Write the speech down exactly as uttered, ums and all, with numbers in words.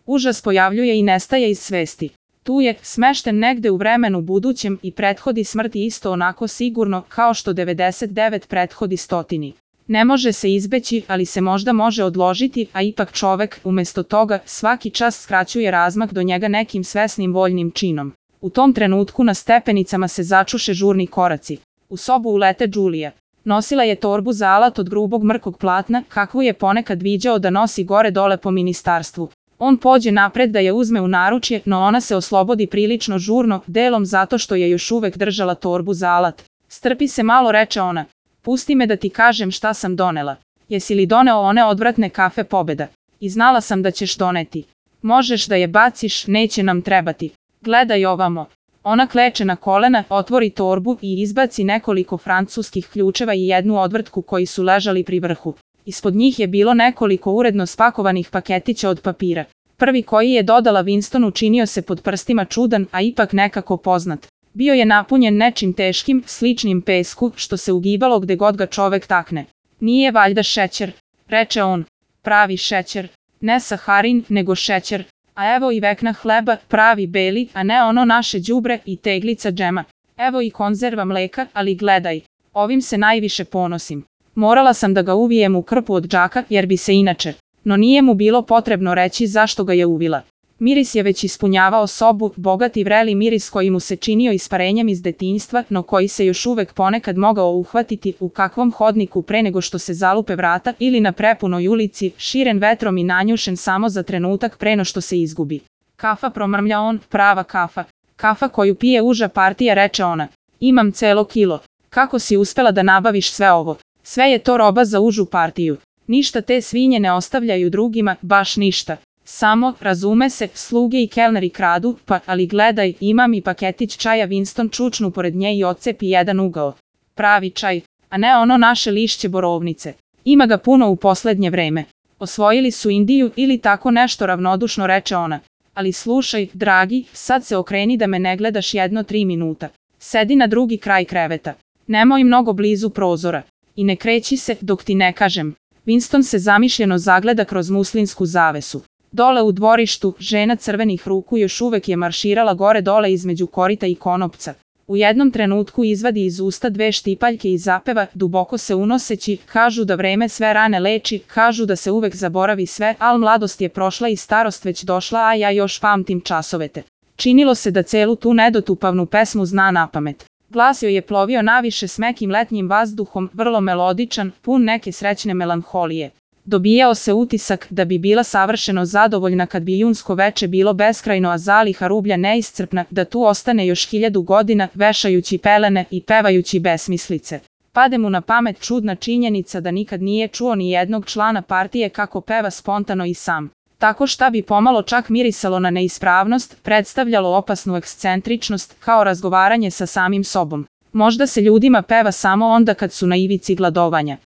Užas pojavljuje i nestaje iz svesti. Tu je, smešten negde u vremenu budućem i prethodi smrti isto onako sigurno kao što devedeset devet prethodi stotini. Ne može se izbeći, ali se možda može odložiti, a ipak čovek, umesto toga, svaki čas skraćuje razmak do njega nekim svesnim voljnim činom. U tom trenutku na stepenicama se začuše žurni koraci. U sobu ulete Đulija. Nosila je torbu za alat od grubog mrkog platna, kakvu je ponekad viđao da nosi gore dole po ministarstvu. On pođe napred da je uzme u naručje, no ona se oslobodi prilično žurno, delom zato što je još uvek držala torbu za alat. Strpi se malo, reče ona. Pusti me da ti kažem šta sam donela. Jesi li doneo one odvratne kafe Pobeda? I znala sam da ćeš doneti. Možeš da je baciš, neće nam trebati. Gledaj ovamo. Ona kleče na kolena, otvori torbu i izbaci nekoliko francuskih ključeva i jednu odvrtku koji su ležali pri vrhu. Ispod njih je bilo nekoliko uredno spakovanih paketića od papira. Prvi koji je dodala Winstonu činio se pod prstima čudan, a ipak nekako poznat. Bio je napunjen nečim teškim, sličnim pesku, što se ugibalo gde god ga čovek takne. Nije valjda šećer, reče on. Pravi šećer. Ne saharin, nego šećer. A evo i vekna hleba, pravi beli, a ne ono naše đubre i teglica džema. Evo i konzerva mleka, ali gledaj. Ovim se najviše ponosim. Morala sam da ga uvijem u krpu od džaka, jer bi se inače. No nije mu bilo potrebno reći zašto ga je uvila. Miris je već ispunjavao sobu, bogat i vreli miris koji mu se činio isparenjem iz detinjstva, no koji se još uvek ponekad mogao uhvatiti u kakvom hodniku pre nego što se zalupe vrata ili na prepunoj ulici, širen vetrom i nanjušen samo za trenutak pre no što se izgubi. Kafa, promrmlja on, prava kafa. Kafa koju pije uža partija, reče ona. Imam celo kilo. Kako si uspela da nabaviš sve ovo? Sve je to roba za užu partiju. Ništa te svinje ne ostavljaju drugima, baš ništa. Samo, razume se, sluge i kelneri kradu, pa, ali gledaj, imam i paketić čaja Winston čučnu pored nje i odcepi jedan ugao. Pravi čaj, a ne ono naše lišće borovnice. Ima ga puno u poslednje vreme. Osvojili su Indiju ili tako nešto, ravnodušno reče ona. Ali slušaj, dragi, sad se okreni da me ne gledaš jedno tri minuta. Sedi na drugi kraj kreveta. Nemoj mnogo blizu prozora. I ne kreći se, dok ti ne kažem. Winston se zamišljeno zagleda kroz muslinsku zavesu. Dole u dvorištu, žena crvenih ruku još uvek je marširala gore dole između korita i konopca. U jednom trenutku izvadi iz usta dve štipaljke i zapeva, duboko se unoseći, kažu da vreme sve rane leči, kažu da se uvek zaboravi sve, al mladost je prošla i starost već došla, a ja još pamtim časovete. Činilo se da celu tu nedotupavnu pesmu zna napamet. Glas joj je plovio naviše smekim letnjim vazduhom, vrlo melodičan, pun neke srećne melanholije. Dobijao se utisak da bi bila savršeno zadovoljna kad bi junsko veče bilo beskrajno, a zaliha rublja neiscrpna, da tu ostane još hiljadu godina, vešajući pelene i pevajući besmislice. Pade mu na pamet čudna činjenica da nikad nije čuo ni jednog člana partije kako peva spontano i sam. Tako šta bi pomalo čak mirisalo na neispravnost, predstavljalo opasnu ekscentričnost, kao razgovaranje sa samim sobom. Možda se ljudima peva samo onda kad su na ivici gladovanja.